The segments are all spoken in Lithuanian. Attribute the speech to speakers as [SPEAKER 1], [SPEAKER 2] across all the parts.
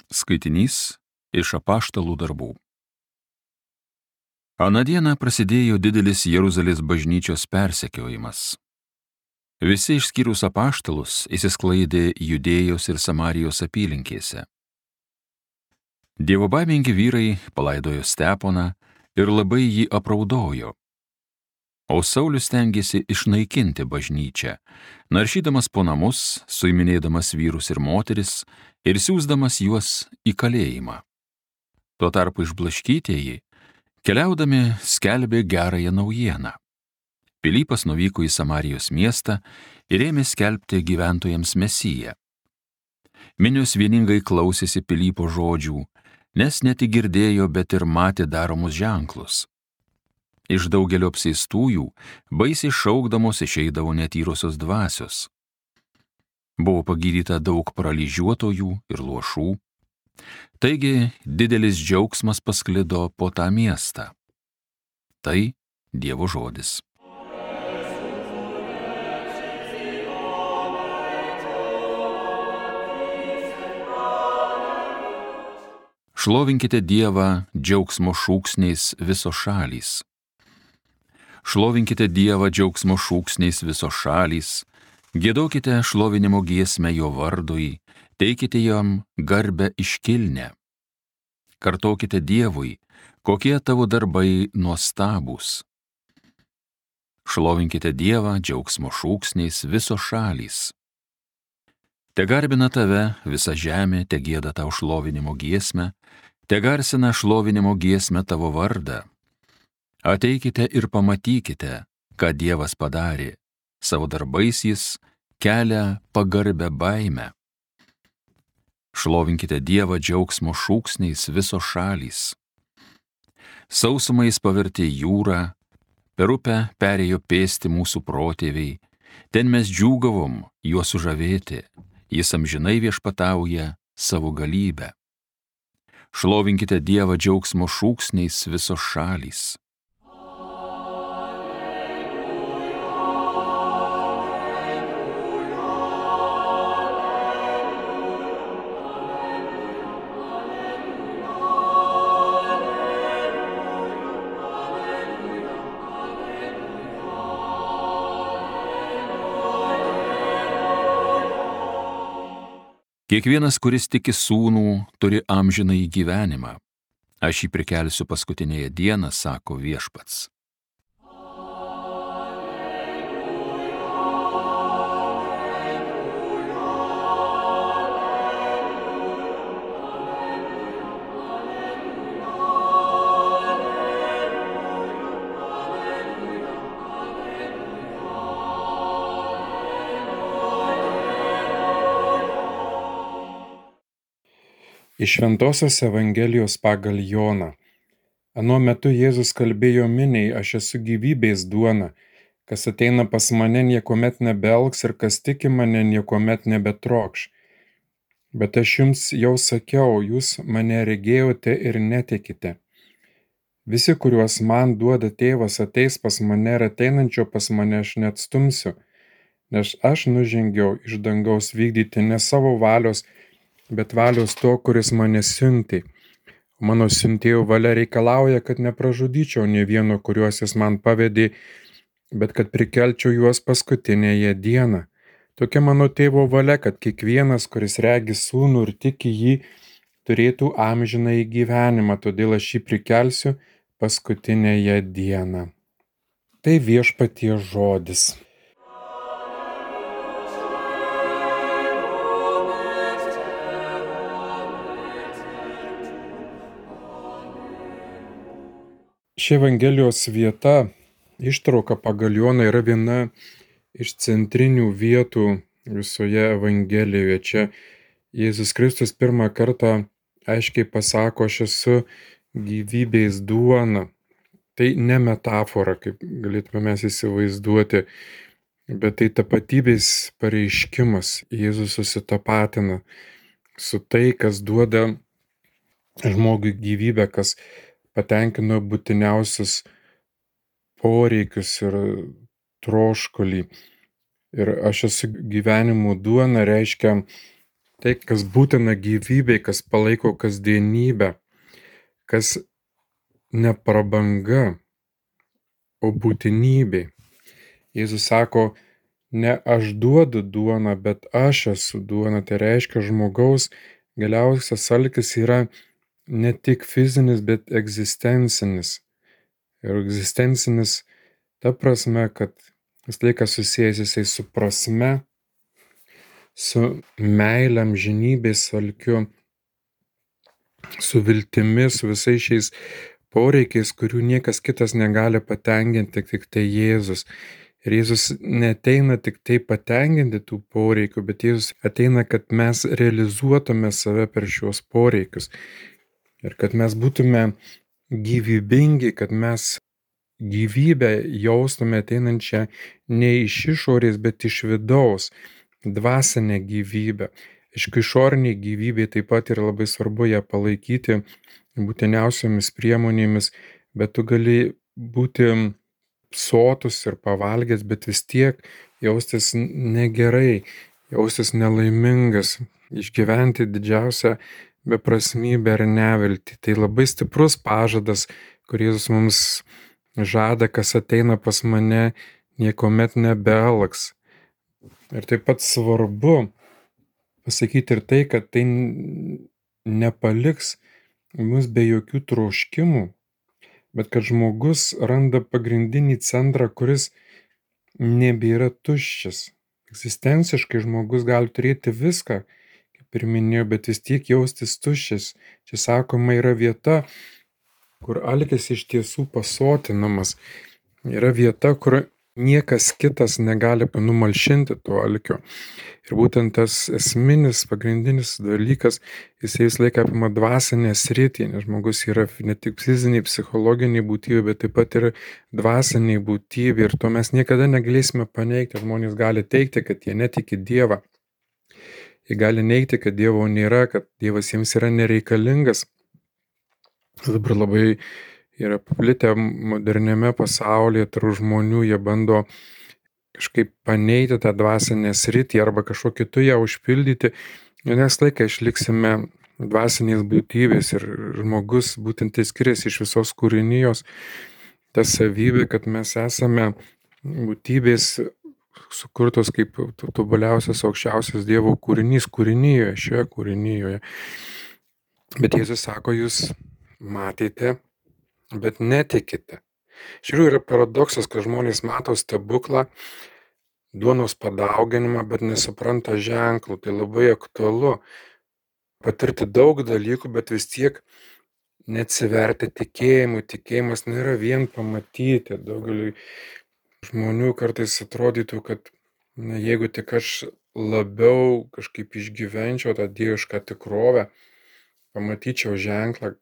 [SPEAKER 1] Skaitinys iš Apaštalų darbų. Aną dieną prasidėjo didelis Jeruzalės bažnyčios persekiojimas. Visi išskyrus apaštalus išsisklaidė Judėjos ir Samarijos apylinkėse. Dievobaimingi vyrai palaidojo Steponą ir labai jį apraudojo. O Saulius stengėsi išnaikinti bažnyčią, naršydamas po namus, suiminėdamas vyrus ir moteris ir siųsdamas juos į kalėjimą. Tuo tarpu išblaškytieji, keliaudami, skelbė gerąją naujieną. Pilypas nuvyko į Samarijos miestą ir ėmė skelbti gyventojams Mesiją. Minios vieningai klausėsi Pilypo žodžių, nes ne tik girdėjo, bet ir matė daromus ženklus. Iš daugelio apsėstųjų baisiai šaukdamos išeidavo netyrosios dvasios. Buvo pagydyta daug paralyžiuotojų ir luošų. Taigi didelis džiaugsmas pasklido po tą miestą. Tai Dievo žodis. Šlovinkite Dievą džiaugsmo šūksniais visos šalys. Šlovinkite Dievą džiaugsmo šūksniais visos šalys, giedokite šlovinimo giesmę jo vardui, teikite jam garbę iškilnę. Kartokite Dievui, kokie tavo darbai nuostabūs. Šlovinkite Dievą džiaugsmo šūksniais visos šalys. Te garbina tave visa žemė, te gieda tau šlovinimo giesmę, te garsina šlovinimo giesmę tavo vardą. Ateikite ir pamatykite, ką Dievas padarė, savo darbais jis kelia pagarbę baimę. Šlovinkite Dievą džiaugsmo šūksniais visos šalys. Sausumą jis pavertė jūrą, per upę perėjo pėsti mūsų protėviai, ten mes džiūgavom juo sužavėti, jis amžinai viešpatauja savo galybę. Šlovinkite Dievą džiaugsmo šūksniais visos šalys. Kiekvienas, kuris tiki sūnų, turi amžinąjį gyvenimą. Aš jį prikelsiu paskutinėje dieną, sako viešpats.
[SPEAKER 2] Iš Šventosios Evangelijos pagal Joną. Anuo metu Jėzus kalbėjo miniai, aš esu gyvybės duona, kas ateina pas mane niekuomet nebealks ir kas tiki mane niekuomet nebetrokš. Bet aš jums jau sakiau, jūs mane regėjote ir netikite. Visi, kuriuos man duoda tėvas, ateis pas mane ir ateinančio pas mane aš neatstumsiu, nes aš nužengiau iš dangaus vykdyti ne savo valios, bet valios to, kuris mane siuntė. Mano siuntėjo valia reikalauja, kad nepražudyčiau nė vieno, kuriuos jis man pavedė, bet kad prikelčiau juos paskutinėje dieną. Tokia mano tėvo valia, kad kiekvienas, kuris regi sūnų ir tiki jį, turėtų amžinąjį gyvenimą, todėl aš jį prikelsiu paskutinėje dieną. Tai viešpaties žodis. Ši Evangelijos vieta, ištrauka pagal Joną, yra viena iš centrinių vietų visoje Evangelijoje. Čia Jėzus Kristus pirmą kartą aiškiai pasako, aš esu gyvybės duona. Tai ne metafora, kaip galėtume mes įsivaizduoti, bet tai tapatybės pareiškimas. Jėzus susitapatina su tai, kas duoda žmogui gyvybę, kas patenkino būtiniausius poreikius ir troškulį. Ir aš esu gyvenimo duona reiškia Tai, kas būtina gyvybei, kas palaiko kasdienybę, kas ne prabanga, o būtinybė. Jėzus sako, ne aš duodu duoną, bet aš esu duona. Tai reiškia, žmogaus galiausias alkis yra ne tik fizinis, bet egzistencinis. Ir egzistencinis ta prasme, kad vis laikas susijęs jisai su prasme, su meile, amžinybės alkiu, su viltimi, su visais šiais poreikiais, kurių niekas kitas negali patenkinti, tik tai Jėzus. Ir Jėzus neteina tik tai patenkinti tų poreikių, bet Jėzus ateina, kad mes realizuotume save per šios poreikius. Ir kad mes būtume gyvybingi, kad mes gyvybę jaustume ateinančią ne iš išorės, bet iš vidaus, dvasinę gyvybę. Aišku, išoriniai gyvybei taip pat yra labai svarbu ją palaikyti būtiniausiomis priemonėmis, bet tu gali būti sotus ir pavalgęs, bet vis tiek jaustis negerai, jaustis nelaimingas, išgyventi didžiausią beprasmybę ir neviltį. Tai labai stiprus pažadas, kuris mums žada, kas ateina pas mane, niekuomet nebealks. Ir taip pat svarbu pasakyti ir tai, kad tai nepaliks mus be jokių troškimų, bet kad žmogus randa pagrindinį centrą, kuris nebėra tuščias. Egzistenciškai žmogus gali turėti viską, kaip ir minėjau, bet vis tiek jaustis tuščias. Čia sakoma, yra vieta, kur alkis iš tiesų pasotinamas. Yra vieta, kur niekas kitas negali numalšinti to alkio. Ir būtent tas esminis, pagrindinis dalykas, jisai vis laiką apima dvasinę sritį, nes žmogus yra ne tik fiziniai, psichologiniai būtybė, bet taip pat ir dvasiniai būtybė. Ir to mes niekada negalėsime paneigti. Žmonės gali teikti, kad jie netiki Dievą. Jie gali neigti, kad Dievo nėra, kad Dievas jiems yra nereikalingas. Dabar labai yra paplitę moderniame pasaulyje tarp žmonių, jie bando kažkaip paneigti tą dvasinę sritį arba kažkuo kitu ją užpildyti. Nes laiką išliksime dvasinės būtybės ir žmogus būtent tai skiriasi iš visos kūrinijos. Ta savybė, kad mes esame būtybės sukurtos kaip tobuliausias, aukščiausias Dievo kūrinys kūrinijoje, šioje kūrinijoje. Bet Jėzus sako, jūs matėte, bet netikite. Iš tikrųjų yra paradoksas, kad žmonės mato stebuklą, duonos padauginimą, bet nesupranta ženklų. Tai labai aktualu patirti daug dalykų, bet vis tiek neatsiverti tikėjimui. Tikėjimas nėra vien pamatyti. Daugeliui žmonių kartais atrodytų, kad jeigu tik aš labiau kažkaip išgyvenčiau tą dievišką tikrovę, pamatyčiau ženklą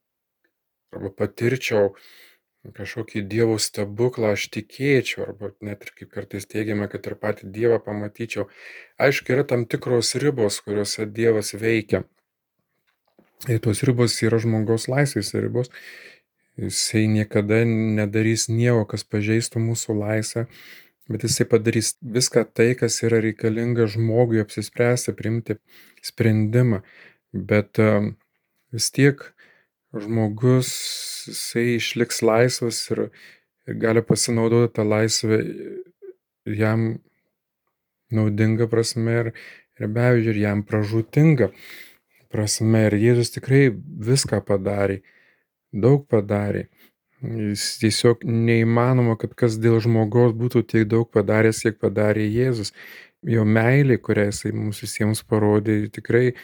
[SPEAKER 2] arba patirčiau kažkokį Dievo stebuklą, aš tikėčiau, arba net ir kaip kartais teigiame, kad ir patį Dievą pamatyčiau. Aišku, yra tam tikros ribos, kuriuose Dievas veikia. Ir tos ribos yra žmogaus laisvės ribos. Jisai niekada nedarys nieko, kas pažeistų mūsų laisvę, bet jisai padarys viską tai, kas yra reikalinga žmogui apsispręsti, priimti sprendimą. Bet vis tiek žmogus, jisai išliks laisvas ir gali pasinaudoti tą laisvę jam naudinga prasme ir be abejo ir jam pražūtinga prasme. Ir Jėzus tikrai viską padarė, daug padarė. Jis tiesiog neįmanoma, kad kas dėl žmogaus būtų tiek daug padaręs, kiek padarė Jėzus. Jo meilė, kurią jisai mums visiems parodė, tikrai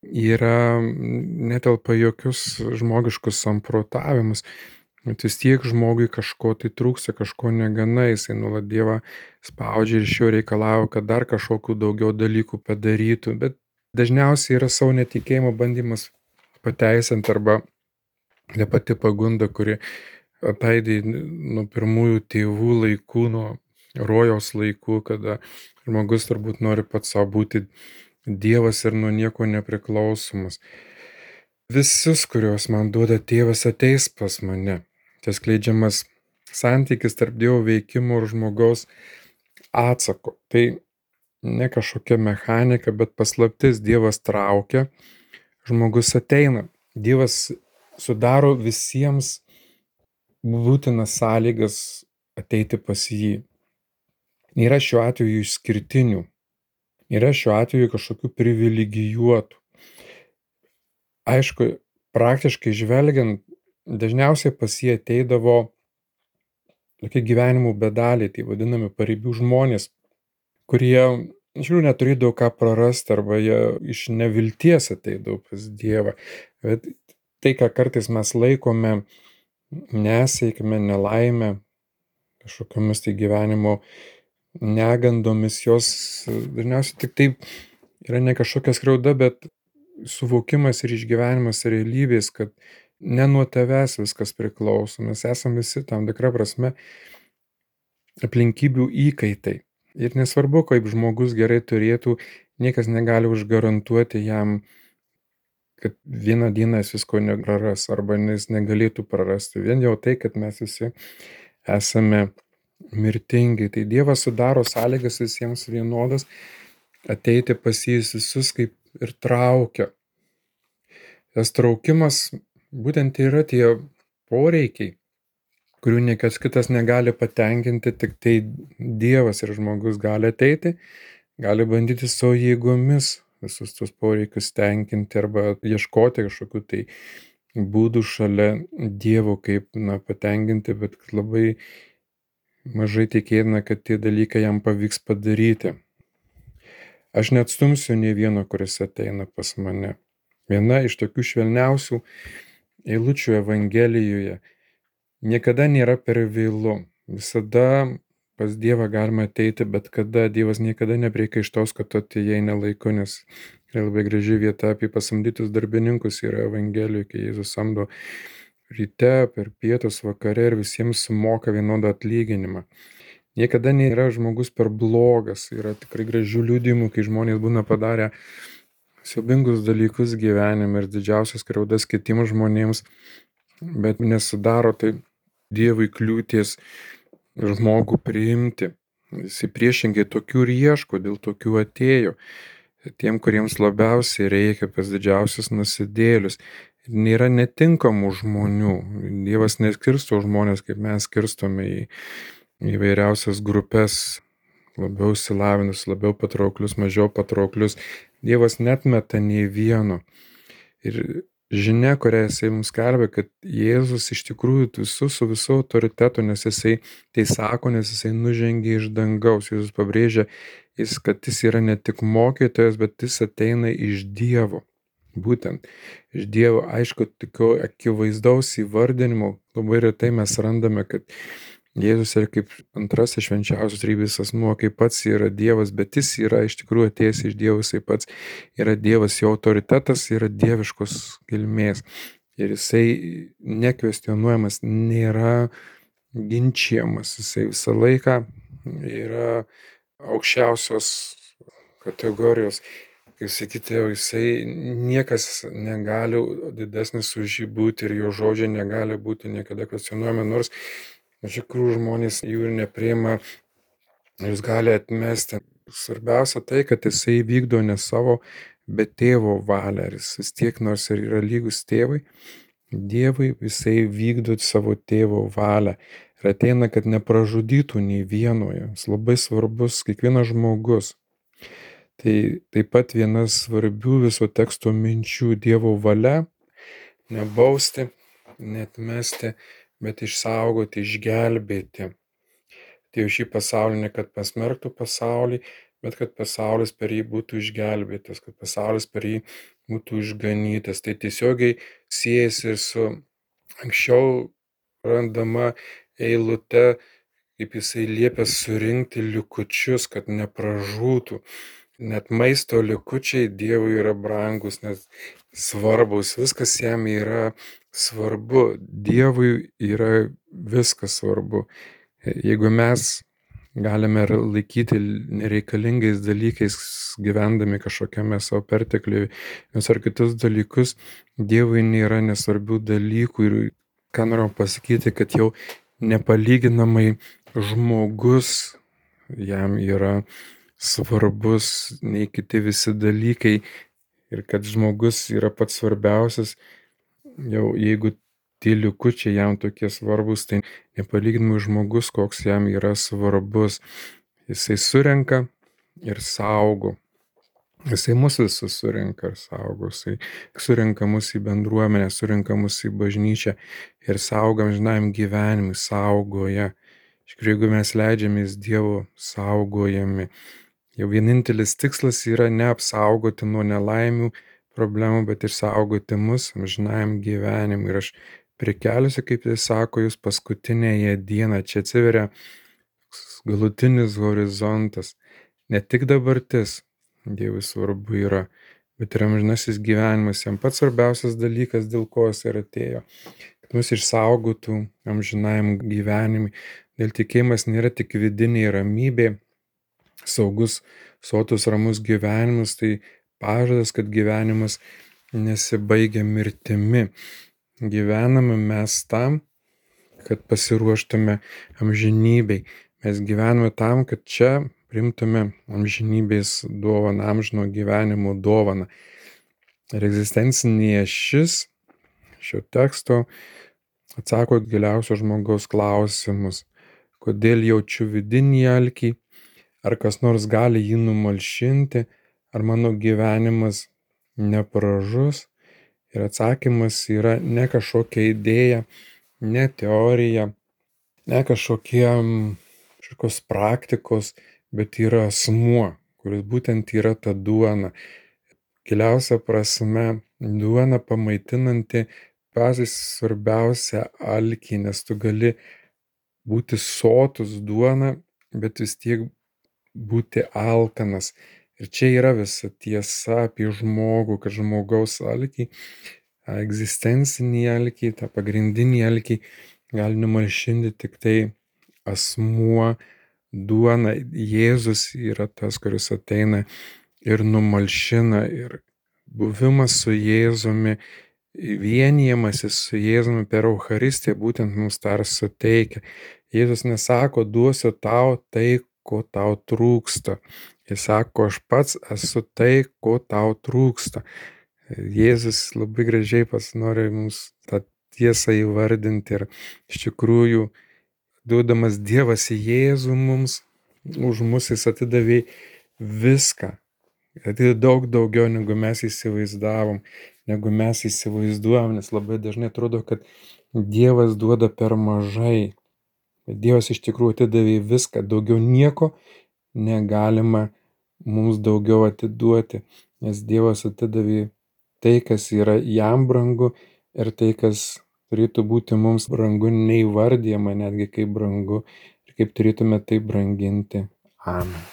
[SPEAKER 2] yra netelpa jokius žmogiškus samprotavimus. Bet vis tiek žmogui kažko tai trūksta, kažko negana, jisai nuolat Dievą spaudžia ir iš jo reikalauja, kad dar kažkokių daugiau dalykų padarytų. Bet dažniausiai yra savo netikėjimo bandymas pateisinti arba ta pati pagunda, kuri ataidė nuo pirmųjų tėvų laikų, nuo rojaus laikų, kada žmogus turbūt nori pats savo būti Dievas ir nuo nieko nepriklausomas. Visus, kuriuos man duoda tėvas, ateis pas mane. Tai skleidžiamas santykis tarp Dievo veikimo ir žmogaus atsako. Tai ne kažkokia mechanika, bet paslaptis. Dievas traukia, žmogus ateina. Dievas sudaro visiems būtinas sąlygas ateiti pas jį. Nėra šiuo atveju išskirtinių, nėra šiuo atveju kažkokių privilegijuotų. Aišku, praktiškai žvelgiant, dažniausiai pas jį ateidavo tokie gyvenimų bedaliai, tai vadinami paribių žmonės, kurie iš tikrųjų neturėdavo ką prarasti arba jie iš nevilties ateidavo pas Dievą. Bet tai, ką kartais mes laikome nesėkme, nelaime, kažkokiamis tai gyvenimo negandomis, jos dažniausiai tik taip yra ne kažkokia skriauda, bet suvokimas ir išgyvenimas realybės, kad ne nuo tavęs viskas priklauso. Mes esame visi tam tikra prasme aplinkybių įkaitai. Ir nesvarbu, kaip žmogus gerai turėtų, niekas negali užgarantuoti jam, kad vieną dieną jis visko nepraras arba jis negalėtų prarasti. Vien jau tai, kad mes visi esame mirtingi. Tai Dievas sudaro sąlygas visiems vienodas ateiti pas jį visus kaip ir traukia. Tas traukimas būtent yra tie poreikiai, kurių niekas kitas negali patenkinti, tik tai Dievas ir žmogus gali ateiti, gali bandyti savo jėgomis visus tos poreikius tenkinti arba ieškoti kažkokių tai būdų šalia Dievo, kaip patenkinti, bet labai mažai tikėtina, kad tie dalykai jam pavyks padaryti. Aš neatstumsiu nei vieno, kuris ateina pas mane. Viena iš tokių švelniausių eilučių Evangelijoje: niekada nėra per vėlu. Visada pas Dievą galima ateiti, bet kada. Dievas niekada nepriekaištaus, kad tu atėjai nelaiku, nes yra labai graži vieta apie pasamdytus darbininkus yra Evangelijoje, kai Jėzus samdo ryte, per pietus, vakare ir visiems sumoka vienodą atlyginimą. Niekada nėra žmogus per blogas. Yra tikrai gražių liudijimų, kai žmonės būna padarę siaubingus dalykus gyvenime ir didžiausias skriaudas kitiems žmonėms, bet nesudaro tai Dievui kliūties žmogų priimti. Jis priešingai tokių ir ieško, dėl tokių atėjo. Tiem, kuriems labiausiai reikia, pas didžiausius nusidėlius. Nėra netinkamų žmonių. Dievas neskirsto žmonės, kaip mes skirstome į įvairiausias grupės, labiau išsilavinus, labiau patrauklius, mažiau patrauklius. Dievas netmeta nei vieno. Ir žinia, kurią jisai mums skelbia, kad Jėzus iš tikrųjų visus su visu autoritetu, nes jisai tai sako, nes jisai nužengė iš dangaus. Jėzus pabrėžia, kad jis yra ne tik mokytojas, bet jis ateina iš Dievo. Būtent iš Dievo. Aišku, tokio akivaizdaus įvardinimo labai retai mes randame, kad Jėzus yra kaip antrasis švenčiausios trejybės asmuo, kaip pats yra Dievas, bet jis yra iš tikrųjų atėjęs iš Dievo, jisai pats yra Dievas, jo autoritetas yra dieviškos kilmės ir jisai nekvestionuojamas, nėra ginčiamas, jisai visą laiką yra aukščiausios kategorijos. Kaip sakyti, jisai niekas negali didesnis už jį būti ir jo žodžiai negali būti niekada kvestionuojami, nors iš tikrųjų žmonės jų ir nepriima, jūs gali atmesti. Svarbiausia tai, kad jisai vykdo ne savo, bet tėvo valią. Jis vis tiek, nors ir yra lygus tėvui, Dievui, jisai vykdo savo tėvo valią. Ir ateina, kad nepražudytų nei vienoje. Jis labai svarbus, kiekvienas žmogus. Tai taip pat viena svarbių viso teksto minčių: Dievo valia nebausti, neatmesti, bet išsaugoti, išgelbėti. Tai šį pasaulį ne kad pasmerktų pasaulį, bet kad pasaulis per jį būtų išgelbėtas, kad pasaulis per jį būtų išganytas. Tai tiesiogiai siejasi su anksčiau randama eilute, kaip jisai liepia surinkti likučius, kad nepražūtų. Net maisto likučiai Dievui yra brangus, nes svarbus, viskas jam yra svarbu. Dievui yra viskas svarbu. Jeigu mes galime laikyti nereikalingais dalykais, gyvendami kažkokiame savo pertekliuje, nes ar kitus dalykus, Dievui nėra nesvarbių dalykų. Ir ką noriu pasakyti, kad jau nepalyginamai žmogus jam yra svarbus nei kiti visi dalykai ir kad žmogus yra pats svarbiausias. Jau jeigu tie likučiai jam tokie svarbus, tai nepalyginamai žmogus, koks jam yra svarbus. Jisai surenka ir saugo. Jisai mus visus surenka ir saugo. Jisai surenka mus į bendruomenę, surenka mus į bažnyčią ir saugo amžinajam gyvenimui, saugoja. Iš tikrųjų, jeigu mes leidžiamės Dievo saugojami, jau vienintelis tikslas yra neapsaugoti nuo nelaimių, problemų, bet ir saugoti mus amžinajam gyvenimui. Ir aš prikelsiu, kaip jis sako, jūs paskutinėje dieną. Čia atsiveria galutinis horizontas. Ne tik dabartis Dievui svarbu yra, bet ir amžinasis gyvenimas. Jam pats svarbiausias dalykas, dėl ko jis ir atėjo. Kad mus išsaugotų amžinajam gyvenimui. Dėl tikėjimas nėra tik vidinė ramybė, saugus, sotus, ramus gyvenimas, tai pažadas, kad gyvenimas nesibaigia mirtimi. Gyvename mes tam, kad pasiruoštume amžinybei. Mes gyvename tam, kad čia priimtume amžinybės dovaną, amžino gyvenimo dovaną. Ir egzistencinė ašis šio teksto atsako giliausio žmogaus klausimus. Kodėl jaučiu vidinį alkį? Ar kas nors gali jį numalšinti? Ar mano gyvenimas nepražus? Ir atsakymas yra ne kažkokia idėja, ne teorija, ne kažkokios praktikos, bet yra asmuo, kuris būtent yra ta duona. Giliausia prasme, duona pamaitinanti patį svarbiausią alkį, nes tu gali būti sotus duona, bet vis tiek būti alkanas. Ir čia yra visa tiesa apie žmogų, kad žmogaus alkį, egzistencinį alkį, tą pagrindinį alkį gali numalšinti tik tai asmuo, duona. Jėzus yra tas, kuris ateina ir numalšina. Ir buvimas su Jėzumi, vienijimasis su Jėzumi per Eucharistiją būtent mums tą ir suteikia. Jėzus nesako, duosiu tau tai, ko tau trūksta. Jis sako, aš pats esu tai, ko tau trūksta. Jėzus labai gražiai nori mums tą tiesą įvardinti ir iš tikrųjų, duodamas Dievas Jėzų mums, už mus jis atidavė viską. Atidavė daug daugiau, negu mes įsivaizdavom, negu mes įsivaizduojam, nes labai dažnai atrodo, kad Dievas duoda per mažai. Bet Dievas iš tikrųjų atidavė viską, daugiau nieko negalima mums daugiau atiduoti, nes Dievas atidavė tai, kas yra jam brangu ir tai, kas turėtų būti mums brangu, neįvardyjama netgi kaip brangu ir kaip turėtume tai branginti. Amen.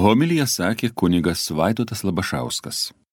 [SPEAKER 1] Homiliją sakė kunigas Vaidotas Labašauskas.